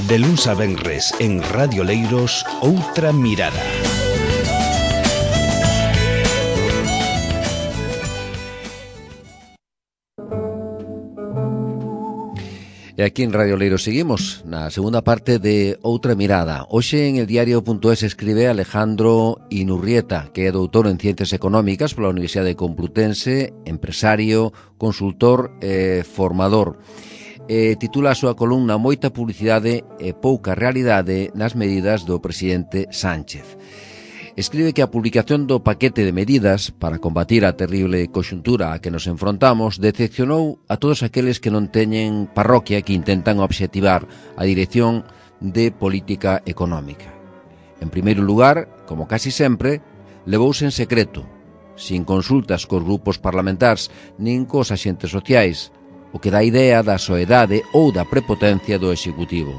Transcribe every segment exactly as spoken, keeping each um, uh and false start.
De luns a venres en Radio Leiros, Outra Mirada. E aquí en Radio Leiros seguimos na segunda parte de Outra Mirada. Hoxe en el diario punto es escribe Alejandro Inurrieta, que é doutor en Ciencias Económicas pola Universidade Complutense, empresario, consultor e formador. E titula a súa columna Moita publicidade e pouca realidade nas medidas do presidente Sánchez. Escribe que a publicación do paquete de medidas para combatir a terrible coxuntura a que nos enfrontamos decepcionou a todos aqueles que non teñen parroquia que intentan obxectivar a dirección de política económica. En primeiro lugar, como casi sempre, levouse en secreto, sin consultas cos grupos parlamentares nin cos axentes sociais, o que dá idea da soedade ou da prepotencia do Executivo.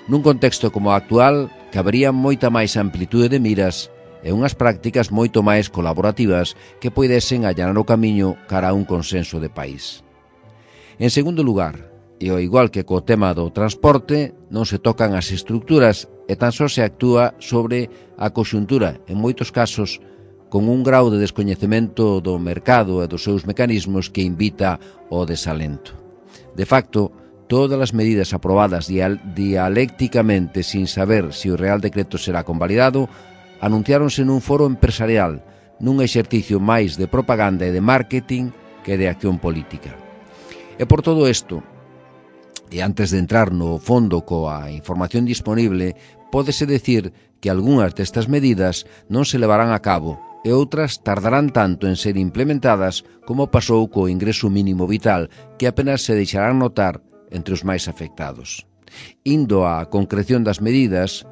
Nun contexto como o actual, cabería moita máis amplitude de miras e unhas prácticas moito máis colaborativas que poidesen allanar o camiño cara a un consenso de país. En segundo lugar, e ao igual que co tema do transporte, non se tocan as estructuras e tan só se actúa sobre a coxuntura, en moitos casos, con un grau de descoñecemento do mercado e dos seus mecanismos que invita ao desalento. De facto, todas as medidas aprobadas dial- dialécticamente sin saber se o Real Decreto será convalidado anunciáronse nun foro empresarial, nun exercicio máis de propaganda e de marketing que de acción política. E por todo isto, e antes de entrar no fondo coa información disponible, pódese decir que algunhas destas medidas non se levarán a cabo e outras tardarán tanto en ser implementadas como pasou co ingreso mínimo vital, que apenas se deixarán notar entre os máis afectados. Indo á concreción das medidas,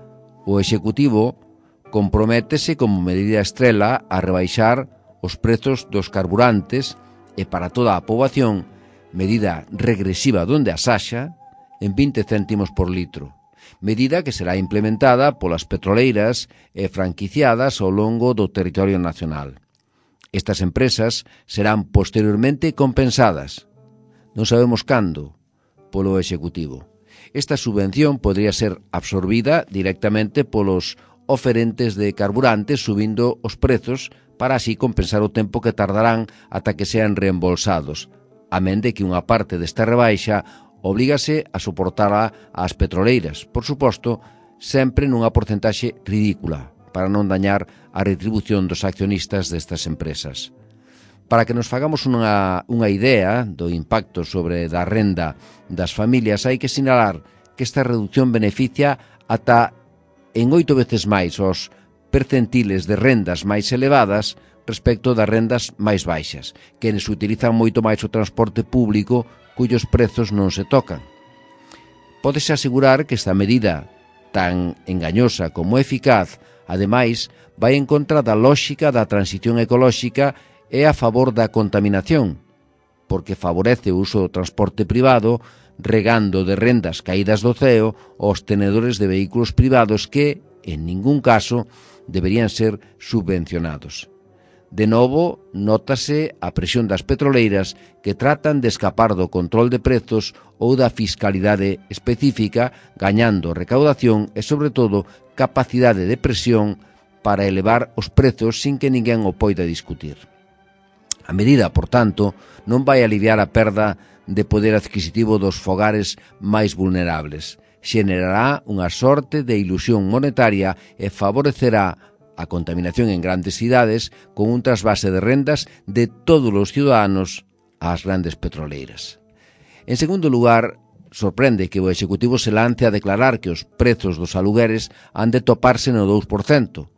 o Executivo comprométese como medida estrela a rebaixar os prezos dos carburantes e para toda a poboación, medida regresiva donde as haxa, en vinte céntimos por litro, medida que será implementada polas petroleiras e franquiciadas ao longo do territorio nacional. Estas empresas serán posteriormente compensadas, non sabemos cando, polo Executivo. Esta subvención podría ser absorbida directamente polos oferentes de carburantes subindo os prezos para así compensar o tempo que tardarán ata que sean reembolsados, amén de que unha parte desta rebaixa obrígase a soportala ás petroleiras, por suposto, sempre nunha porcentaxe ridícula, para non dañar a retribución dos accionistas destas empresas. Para que nos fagamos unha, unha idea do impacto sobre da renda das familias, hai que sinalar que esta reducción beneficia ata en oito veces máis os percentiles de rendas máis elevadas respecto das rendas máis baixas, que se utilizan moito máis o transporte público cuyos prezos non se tocan. Pódese asegurar que esta medida, tan engañosa como eficaz, ademais, vai en contra da lóxica da transición ecolóxica e a favor da contaminación, porque favorece o uso do transporte privado, regando de rendas caídas do ceo aos tenedores de vehículos privados que, en ningún caso, deberían ser subvencionados. De novo, nótase a presión das petroleiras que tratan de escapar do control de prezos ou da fiscalidade específica, gañando recaudación e, sobre todo, capacidade de presión para elevar os prezos sin que ninguén o poida discutir. A medida, por tanto, non vai aliviar a perda de poder adquisitivo dos fogares máis vulnerables. Xenerará unha sorte de ilusión monetaria e favorecerá a contaminación en grandes cidades con un trasvase de rendas de todos os ciudadanos ás grandes petroleiras. En segundo lugar, sorprende que o Executivo se lance a declarar que os prezos dos alugueres han de toparse no dous por cento,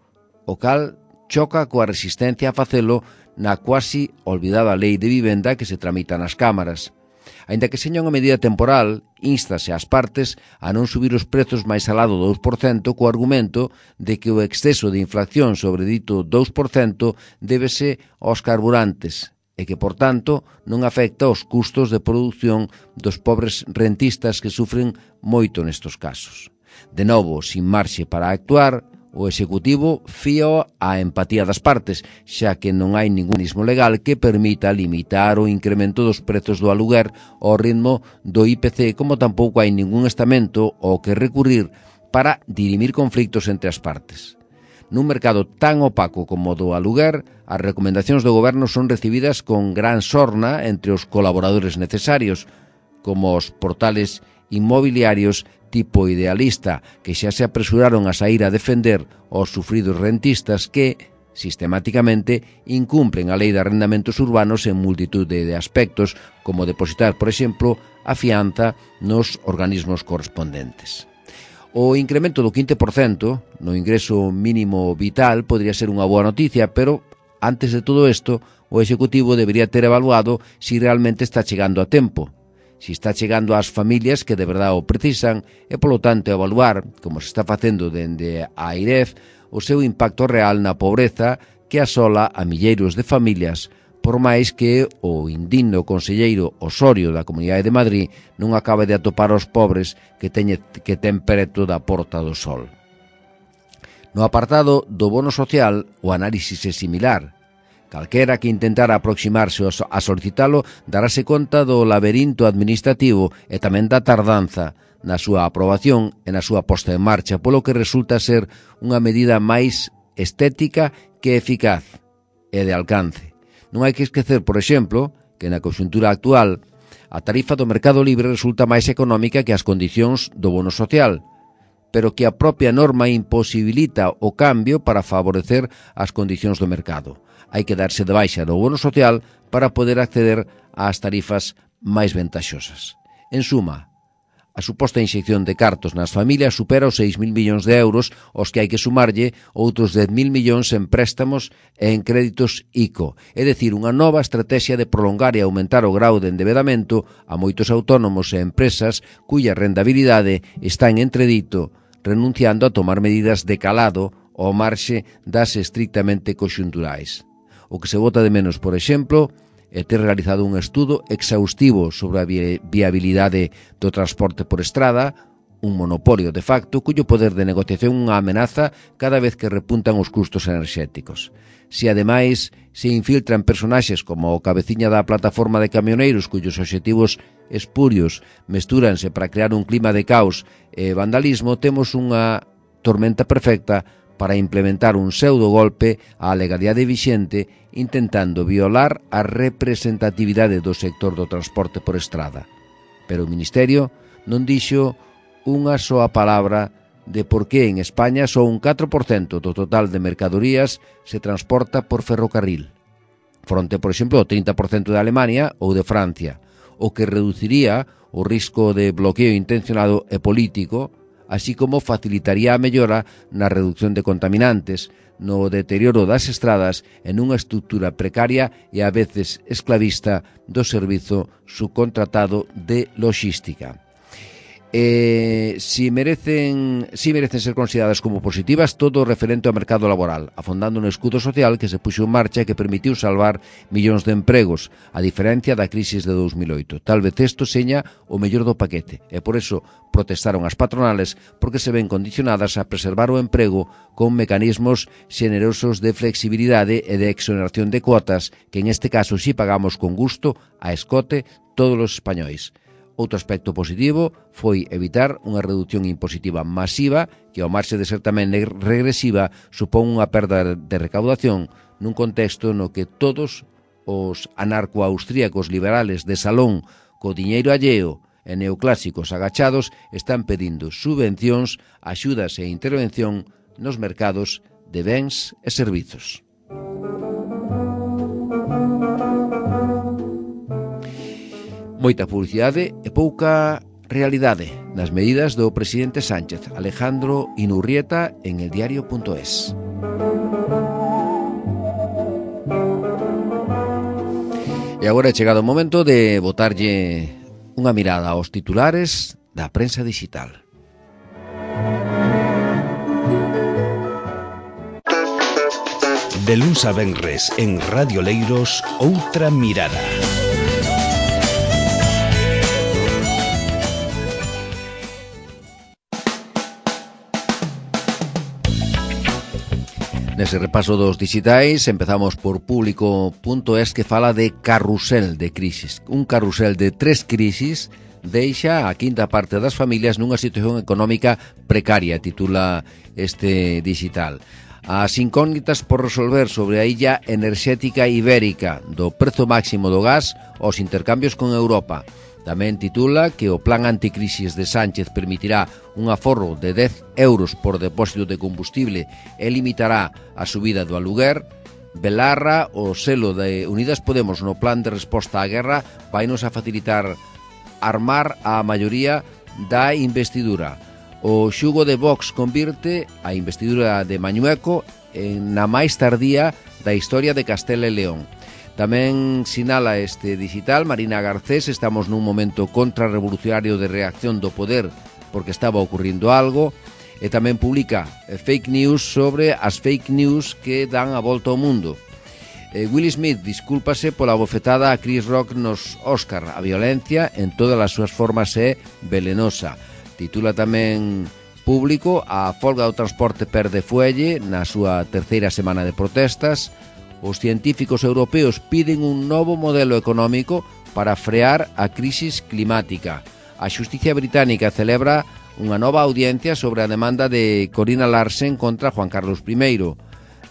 o cal choca coa resistencia a facelo na cuasi olvidada lei de vivenda que se tramita nas cámaras. Aínda que seña unha medida temporal,ínstase ás partes a non subir os prezos máis alá do dous por cento co argumento de que o exceso de inflación sobre dito dous por cento débese aos carburantes e que, por tanto, non afecta aos custos de produción dos pobres rentistas que sufren moito nestos casos. De novo, sin marxe para actuar, o Executivo fío á empatía das partes, xa que non hai ningún mecanismo legal que permita limitar o incremento dos prezos do aluguer ao ritmo do I P C, como tampouco hai ningún estamento ao que recurrir para dirimir conflictos entre as partes. Nun mercado tan opaco como o do aluguer, as recomendacións do Goberno son recibidas con gran sorna entre os colaboradores necesarios, como os portales inmobiliarios tipo Idealista, que xa se apresuraron a sair a defender os sufridos rentistas que, sistemáticamente, incumplen a lei de arrendamentos urbanos en multitud de aspectos, como depositar, por exemplo, a fianza nos organismos correspondentes. O incremento do quince por cento no ingreso mínimo vital podría ser unha boa noticia, pero, antes de todo isto, o Executivo debería ter evaluado si realmente está chegando a tempo, si está chegando ás familias que de verdade o precisan e, polo tanto, evaluar, como se está facendo dende a AIREF, o seu impacto real na pobreza que asola a milleiros de familias, por máis que o indigno conselleiro Osorio da Comunidade de Madrid non acabe de atopar os pobres que, teñe, que ten preto da Porta do Sol. No apartado do bono social, o análisis é similar. Calquera que intentara aproximarse a solicitalo darase conta do laberinto administrativo e tamén da tardanza na súa aprobación e na súa posta en marcha, polo que resulta ser unha medida máis estética que eficaz e de alcance. Non hai que esquecer, por exemplo, que na conxuntura actual a tarifa do mercado libre resulta máis económica que as condicións do bono social, pero que a propia norma imposibilita o cambio para favorecer as condicións do mercado. Hai que darse de baixa do bono social para poder acceder ás tarifas máis ventaxosas. En suma, a suposta inxección de cartos nas familias supera os seis mil millóns de euros, aos que hai que sumarlle outros dez mil millóns en préstamos e en créditos I C O, é dicir, unha nova estrategia de prolongar e aumentar o grau de endebedamento a moitos autónomos e empresas cuya rentabilidade está en entredito, renunciando a tomar medidas de calado ao marxe das estrictamente conxunturais. O que se bota de menos, por exemplo, é ter realizado un estudo exhaustivo sobre a viabilidade do transporte por estrada, un monopolio de facto cuyo poder de negociación unha amenaza cada vez que repuntan os custos enerxéticos. Se ademais se infiltran personaxes como o cabeciña da plataforma de camioneiros cuyos obxectivos espurios mestúranse para crear un clima de caos e vandalismo, temos unha tormenta perfecta para implementar un pseudo-golpe á legalidade vixente intentando violar a representatividade do sector do transporte por estrada. Pero o Ministerio non dixo unha soa palabra de por que en España só un catro por cento do total de mercadorías se transporta por ferrocarril, fronte, por exemplo, ao trinta por cento de Alemania ou de Francia, o que reduciría o risco de bloqueo intencionado e político, así como facilitaría a mellora na reducción de contaminantes, no deterioro das estradas e nunha estrutura precaria e a veces esclavista do servizo subcontratado de logística. Eh, si merecen si merecen ser consideradas como positivas todo o referente ao mercado laboral, afondando no escudo social que se puxo en marcha e que permitiu salvar millóns de empregos, a diferencia da crisis de dos mil oito. Tal vez isto seña o mellor do paquete, e por eso protestaron as patronales, porque se ven condicionadas a preservar o emprego con mecanismos xenerosos de flexibilidade e de exoneración de cuotas, que en este caso si pagamos con gusto a escote todos os españois. Outro aspecto positivo foi evitar unha reducción impositiva masiva que, ao marxe de ser tamén regresiva, supón unha perda de recaudación nun contexto no que todos os anarco-austríacos liberales de salón co diñeiro alleo e neoclásicos agachados están pedindo subvencións, axudas e intervención nos mercados de bens e servizos. Moita publicidade e pouca realidade nas medidas do presidente Sánchez. Alejandro Inurrieta en el diario punto es. E agora é chegado o momento de botarlle unha mirada aos titulares da prensa digital. De luns a venres en Radio Leiros, Outra Mirada. Nese repaso dos digitais empezamos por público punto es, que fala de carrusel de crisis. Un carrusel de tres crisis deixa a quinta parte das familias nunha situación económica precaria, titula este digital. As incógnitas por resolver sobre a illa enerxética ibérica, do prezo máximo do gas aos intercambios con Europa. Tamén titula que o plan anticrisis de Sánchez permitirá un aforro de dez euros por depósito de combustible e limitará a subida do aluguer. Belarra, o selo de Unidas Podemos no plan de resposta á guerra, vainos a facilitar armar a maioría da investidura. O xugo de Vox convirte a investidura de Mañueco en na máis tardía da historia de Castela e León. Tamén sinala este digital Marina Garcés: estamos nun momento contrarrevolucionario de reacción do poder porque estaba ocurrindo algo. E tamén publica fake news sobre as fake news que dan a volta ao mundo. E Will Smith discúlpase pola bofetada a Chris Rock nos Óscar. A violencia en todas as súas formas é velenosa. Titula tamén Público: a folga do transporte perde fuelle na súa terceira semana de protestas. Os científicos europeos piden un novo modelo económico para frear a crisis climática. A xusticia británica celebra unha nova audiencia sobre a demanda de Corina Larsen contra Juan Carlos primeiro.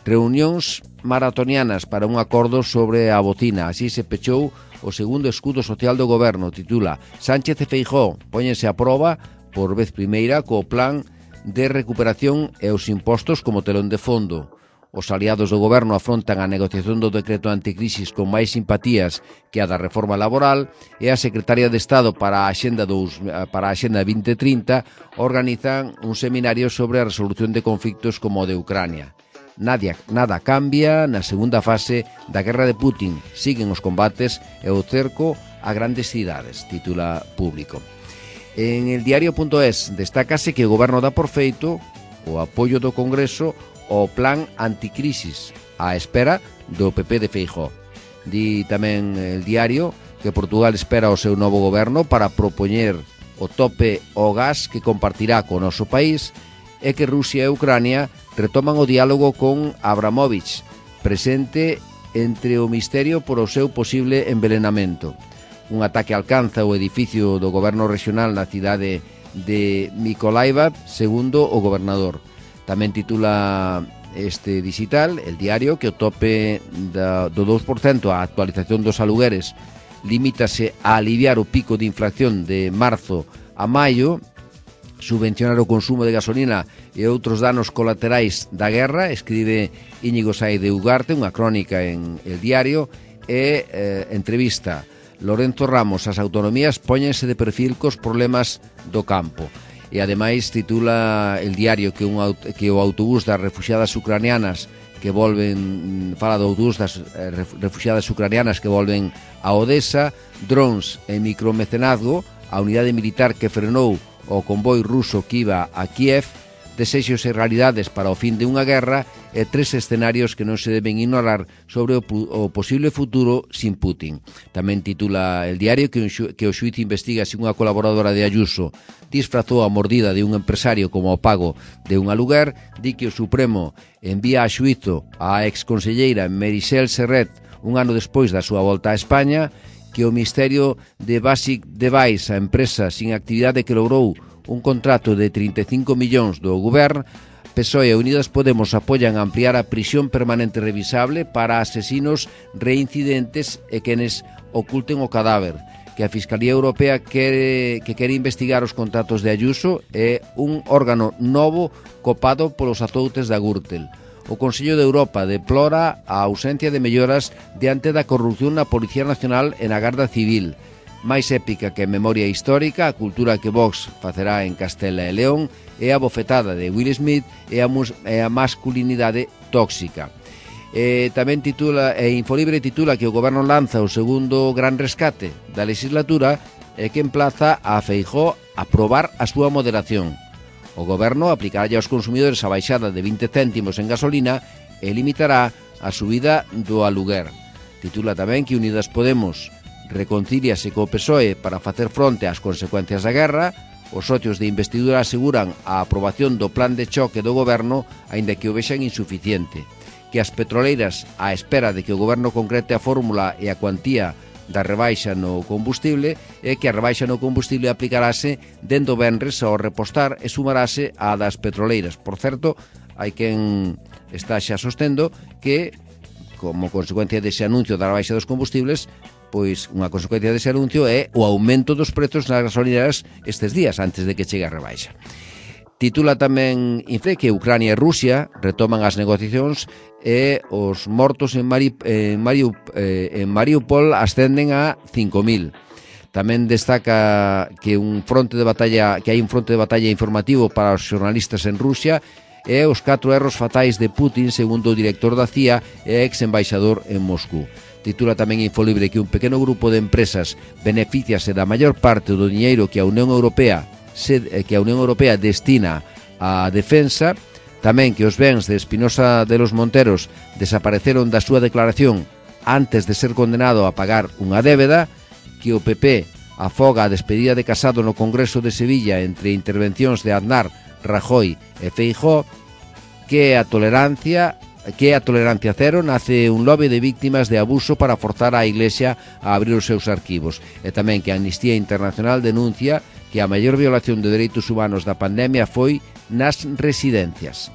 Reunións maratonianas para un acordo sobre a bocina. Así se pechou o segundo escudo social do goberno. Titula Sánchez e Feijóo póñense a proba por vez primeira co plan de recuperación e os impostos como telón de fondo. Os aliados do goberno afrontan a negociación do decreto anticrisis con máis simpatías que a da reforma laboral, e a secretaria de Estado para a Axenda, dos, para a Axenda vinte trinta organizan un seminario sobre a resolución de conflictos como o de Ucrania. Nadia, nada cambia na segunda fase da guerra de Putin. Siguen os combates e o cerco a grandes cidades, titula Público. En el diario punto es destácase que o goberno dá por feito o apoio do Congreso o plan anticrisis á espera do P P de Feijóo. Di tamén el diario que Portugal espera o seu novo goberno para propoñer o tope ao gas que compartirá co noso país, e que Rusia e Ucrania retoman o diálogo con Abramovich, presente entre o misterio por o seu posible envenenamento. Un ataque alcanza o edificio do goberno regional na cidade de Mykolaiv, segundo o gobernador. Tamén titula este digital, el diario, que o tope da, do dous por cento a actualización dos alugueres limítase a aliviar o pico de inflación de marzo a maio, subvencionar o consumo de gasolina e outros danos colaterais da guerra, escribe Íñigo Saez de Ugarte, unha crónica en el diario, e eh, entrevista Lorenzo Ramos: as autonomías póñense de perfil cos problemas do campo. E ademais titula el diario que, un, que o autobús das refuxiadas ucranianas que volven, fala do autobús das eh, refuxiadas ucranianas que volven a Odessa, drones e micromecenazgo, a unidade militar que frenou o convoi ruso que iba a Kiev, desexos e realidades para o fin de unha guerra, e tres escenarios que non se deben ignorar sobre o, o posible futuro sin Putin. Tamén titula el diario que, un xu, que o xuíz investiga se unha colaboradora de Ayuso disfrazou a mordida de un empresario como o pago de un aluguer. Di que o Supremo envía a xuízo a exconselleira Meritxell Serret un ano despois da súa volta a España, que o misterio de Basic Device, a empresa sin actividade que logrou un contrato de trinta e cinco millóns do goberno. P S O E e Unidas Podemos apoian ampliar a prisión permanente revisable para asesinos reincidentes e quenes oculten o cadáver. Que a Fiscalía Europea quere, que quere investigar os contratos de Ayuso e un órgano novo copado polos azoutes da Gürtel. O Consello de Europa deplora a ausencia de melloras diante da corrupción na Policía Nacional e na Garda Civil. Máis épica que memoria histórica, a cultura que Vox facerá en Castela e León, e a bofetada de Will Smith e a, mus, e a masculinidade tóxica. E tamén titula, e Infolibre titula que o goberno lanza o segundo gran rescate da legislatura e que emplaza a Feijóo a probar a súa moderación. O goberno aplicará aos consumidores a baixada de vinte céntimos en gasolina e limitará a subida do aluguer. Titula tamén que Unidas Podemos reconcíliase co P S O E para facer fronte ás consecuencias da guerra. Os socios de investidura aseguran a aprobación do plan de choque do goberno, aínda que o vexan insuficiente. que as petroleiras, á espera de que o goberno concrete a fórmula e a cuantía da rebaixa no combustible, e que a rebaixa no combustible aplicarase dende o venres ao repostar e sumarase á das petroleiras. Por certo, hai quen está xa sostendo que, como consecuencia dese anuncio da rebaixa dos combustibles, pois unha consecuencia dese anuncio é o aumento dos prezos nas gasolineras estes días, antes de que chegue a rebaixa. Titula tamén Infe que Ucrania e Rusia retoman as negociacións e os mortos en, Mari, en, Mariu, eh, en Mariupol ascenden a cinco mil. Tamén destaca que un fronte de batalla que hai un fronte de batalla informativo para os xornalistas en Rusia e os catro erros fatais de Putin, segundo o director da C I A e ex-embaixador en Moscú. Titula tamén Infolibre que un pequeno grupo de empresas beneficiase da maior parte do diñeiro que a Unión Europea que a Unión Europea destina á defensa, tamén que os bens de Espinosa de los Monteros desapareceron da súa declaración antes de ser condenado a pagar unha débeda, que o P P afoga a despedida de Casado no Congreso de Sevilla entre intervencións de Aznar, Rajoy e Feijóo, que a tolerancia que a tolerancia cero nace un lobby de víctimas de abuso para forzar a Iglesia a abrir os seus arquivos, e tamén que a Amnistía Internacional denuncia que a maior violación de dereitos humanos da pandemia foi nas residencias.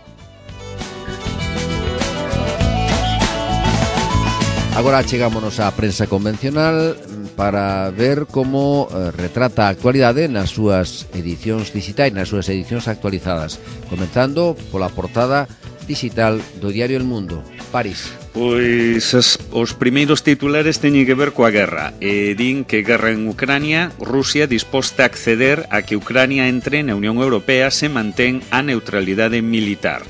Agora chegámonos á prensa convencional para ver como eh, retrata a actualidade nas súas edicións digitais, nas súas edicións actualizadas, comenzando pola portada digital do diario El Mundo. París. Pois as, os primeiros titulares teñen que ver coa guerra e din que guerra en Ucrania, Rusia disposta a acceder a que Ucrania entre na Unión Europea se mantén a neutralidade militar.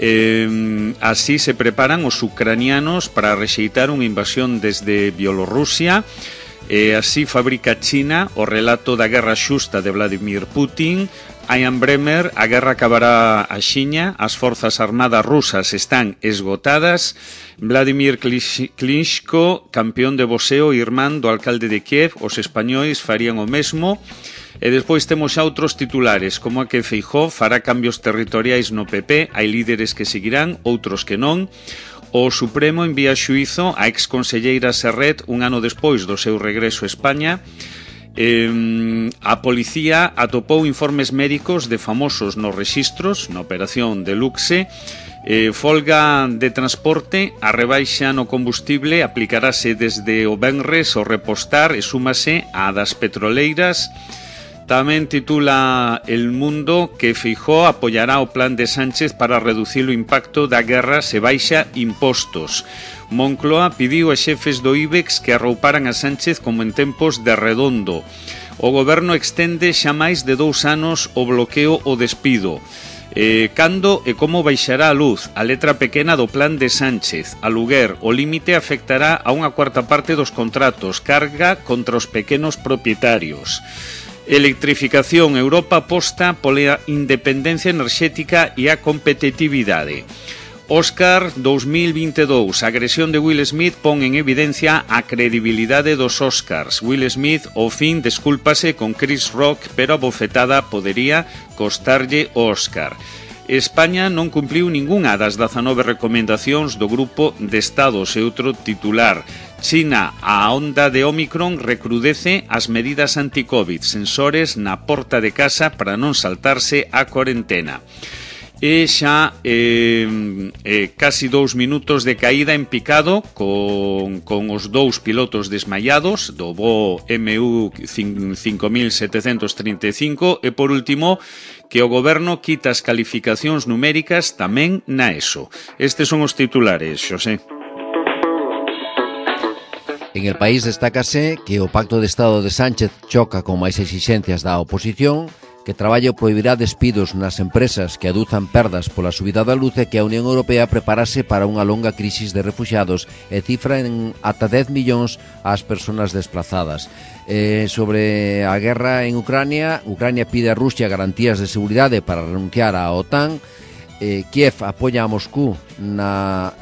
Eh, así se preparan os ucranianos para rexeitar unha invasión desde Bielorrusia. E así fabrica China o relato da guerra xusta de Vladimir Putin. Ian Bremmer, a guerra acabará axiña, as forzas armadas rusas están esgotadas. Vladimir Klitschko, campeón de boxeo irmán do alcalde de Kiev, os españois farían o mesmo. E despois temos xa outros titulares, como a que Feijóo fará cambios territoriais no P P, hai líderes que seguirán, outros que non. O Supremo envía a xuízo a exconselleira Serret un ano despois do seu regreso a España. Eh, a policía atopou informes médicos de famosos nos rexistros na operación Deluxe. Eh, folga de transporte, a rebaixa no combustible aplicarase desde o venres ao repostar e súmase á das petroleiras. Tamén titula El Mundo que Feijóo apoiará o plan de Sánchez para reducir o impacto da guerra se baixa impostos. Moncloa pidiu a xefes do IBEX que arrouparan a Sánchez como en tempos de Redondo. O goberno extende xa máis de dous anos o bloqueo o despido. Eh, cando e como baixará a luz? A letra pequena do plan de Sánchez. A Luguer, o límite afectará a unha cuarta parte dos contratos. Carga contra os pequenos propietarios. Electrificación. Europa aposta pola independencia enerxética e a competitividade. Óscar dous mil vinte e dous. A agresión de Will Smith pon en evidencia a credibilidade dos Óscars. Will Smith, ao fin, descúlpase con Chris Rock, pero a bofetada podería costarlle o Óscar. España non cumpliu ningunha das dezanove recomendacións do Grupo de Estados e outro titular. China, a onda de Omicron recrudece as medidas anti-Covid, sensores na porta de casa para non saltarse a cuarentena. E xa eh, eh, casi dous minutos de caída en picado con, con os dous pilotos desmaiados do voo M U cinco mil setecentos trinta e cinco e por último que o goberno quita as calificacións numéricas tamén na ESO. Estes son os titulares, Xosé. En El País destácase que o Pacto de Estado de Sánchez choca con máis exixencias da oposición, que Traballo prohibirá despidos nas empresas que aduzan perdas pola subida da luz e que a Unión Europea preparase para unha longa crisis de refuxiados e cifra en ata dez millóns as persoas desplazadas. Eh, sobre a guerra en Ucrania, Ucrania pide a Rusia garantías de seguridade para renunciar á OTAN. Eh, Kiev apoia a Moscú na,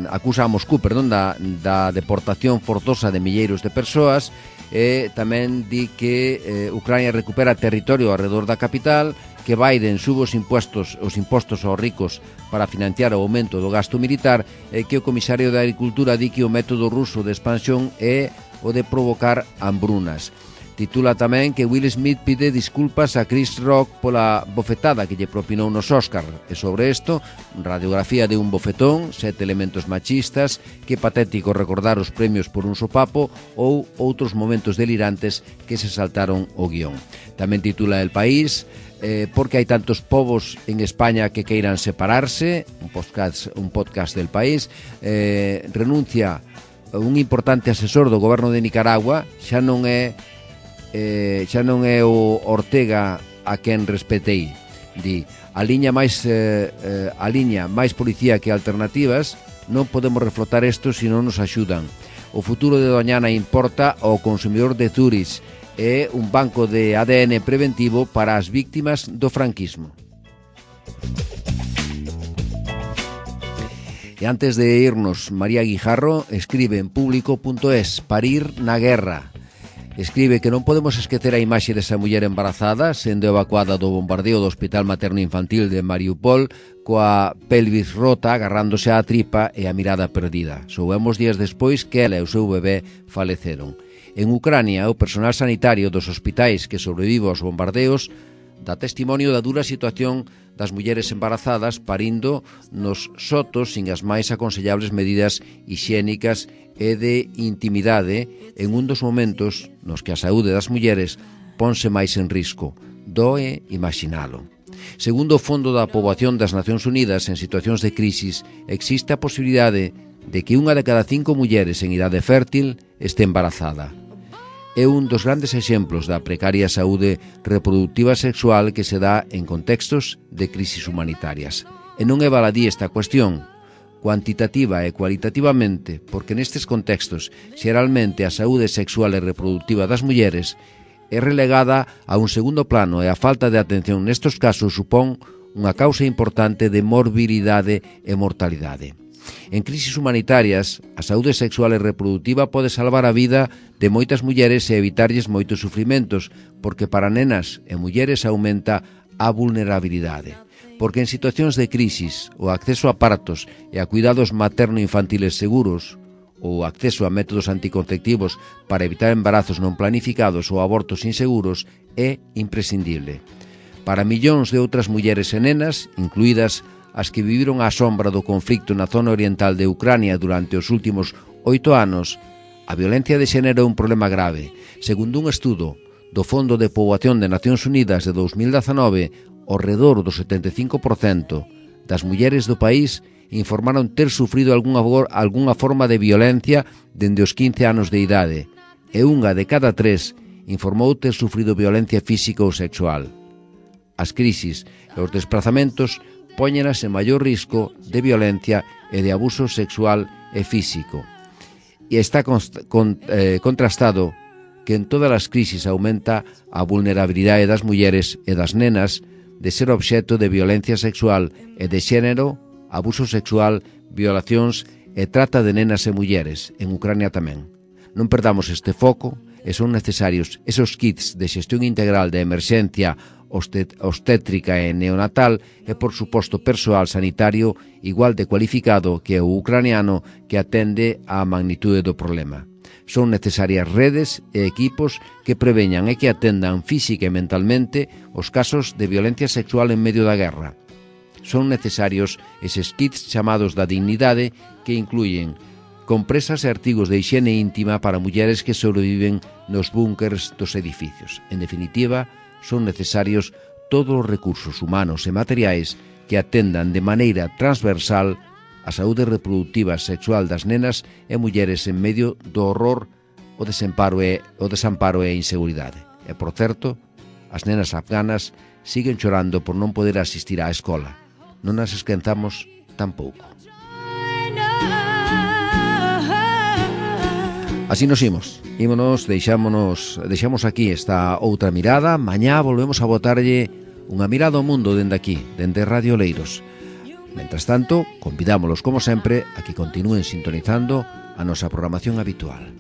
acusa a Moscú perdón, da, da deportación forzosa de milleiros de persoas. E tamén di que eh, Ucrania recupera territorio alrededor da capital, que Biden sube os impostos, os impostos aos ricos para financiar o aumento do gasto militar e que o comisario de Agricultura di que o método ruso de expansión é o de provocar hambrunas. Titula tamén que Will Smith pide disculpas a Chris Rock pola bofetada que lle propinou nos Óscar. E sobre isto, radiografía de un bofetón, sete elementos machistas, que patético recordar os premios por un sopapo ou outros momentos delirantes que se saltaron o guión. Tamén titula El País, eh, porque hai tantos povos en España que queiran separarse, un podcast, un podcast del País, eh, renuncia un importante asesor do goberno de Nicaragua, xa non é Eh, xa non é o Ortega a quen respetei, di a liña máis eh, eh, a liña máis policía que alternativas, non podemos reflotar isto se non nos axudan. O futuro de Doñana importa ao consumidor de Zurich, é un banco de A D N preventivo para as víctimas do franquismo. E antes de irnos, María Guijarro escribe en público punto es: parir na guerra. Escribe que non podemos esquecer a imaxe desa muller embarazada sendo evacuada do bombardeo do Hospital Materno Infantil de Mariupol coa pelvis rota, agarrándose á tripa e a mirada perdida. Soubemos días despois que ela e o seu bebé faleceron. En Ucrania, o personal sanitario dos hospitais que sobrevive aos bombardeos dá testimonio da dura situación das mulleres embarazadas parindo nos sotos sin as máis aconsellables medidas hixiénicas e de intimidade en un dos momentos nos que a saúde das mulleres ponse máis en risco. Doe imaginalo. Segundo o Fondo da Poboación das Nacións Unidas, en situacións de crisis existe a posibilidade de que unha de cada cinco mulleres en idade fértil este embarazada. É un dos grandes exemplos da precaria saúde reproductiva sexual que se dá en contextos de crisis humanitarias. E non é baladí esta cuestión, cuantitativa e cualitativamente, porque nestes contextos, xeralmente a saúde sexual e reproductiva das mulleres é relegada a un segundo plano e a falta de atención nestes casos supón unha causa importante de morbilidade e mortalidade. En crisis humanitarias, a saúde sexual e reproductiva pode salvar a vida de moitas mulleres e evitarlles moitos sufrimentos, porque para nenas e mulleres aumenta a vulnerabilidade. Porque en situacións de crisis, o acceso a partos e a cuidados materno-infantiles seguros, ou o acceso a métodos anticonceptivos para evitar embarazos non planificados ou abortos inseguros é imprescindible. Para millóns de outras mulleres e nenas, incluídas as que viviron á sombra do conflicto na zona oriental de Ucrania durante os últimos oito anos, a violencia de xénero é un problema grave. Segundo un estudo do Fondo de Poboación de Nacións Unidas de dous mil dezanove, ao redor do setenta e cinco por cento das mulleres do país informaron ter sufrido algunha, algunha forma de violencia dende os quince anos de idade, e unha de cada tres informou ter sufrido violencia física ou sexual. As crisis e os desplazamentos póñenas en maior risco de violencia e de abuso sexual e físico. E está const, con, eh, contrastado que en todas as crisis aumenta a vulnerabilidade das mulleres e das nenas de ser obxecto de violencia sexual e de xénero, abuso sexual, violacións e trata de nenas e mulleres, en Ucrania tamén. Non perdamos este foco e son necesarios esos kits de xestión integral de emerxencia obstétrica e neonatal e, por suposto, persoal sanitario igual de cualificado que o ucraniano que atende á magnitude do problema. Son necesarias redes e equipos que preveñan e que atendan física e mentalmente os casos de violencia sexual en medio da guerra. Son necesarios eses kits chamados da dignidade que incluyen compresas e artigos de hixiene íntima para mulleres que sobreviven nos búnkers dos edificios. En definitiva, son necesarios todos os recursos humanos e materiais que atendan de maneira transversal a saúde reproductiva sexual das nenas e mulleres en medio do horror, o desamparo e, o desamparo e a inseguridade. E, por certo, as nenas afganas siguen chorando por non poder asistir á escola. Non as esquentamos tampouco. Así nos imos, ímonos, deixámonos, deixamos aquí esta outra mirada. Mañá volvemos a botarlle unha mirada ao mundo dende aquí, dende Radio Leiros. Mentras tanto, convidámolos como sempre a que continúen sintonizando a nosa programación habitual.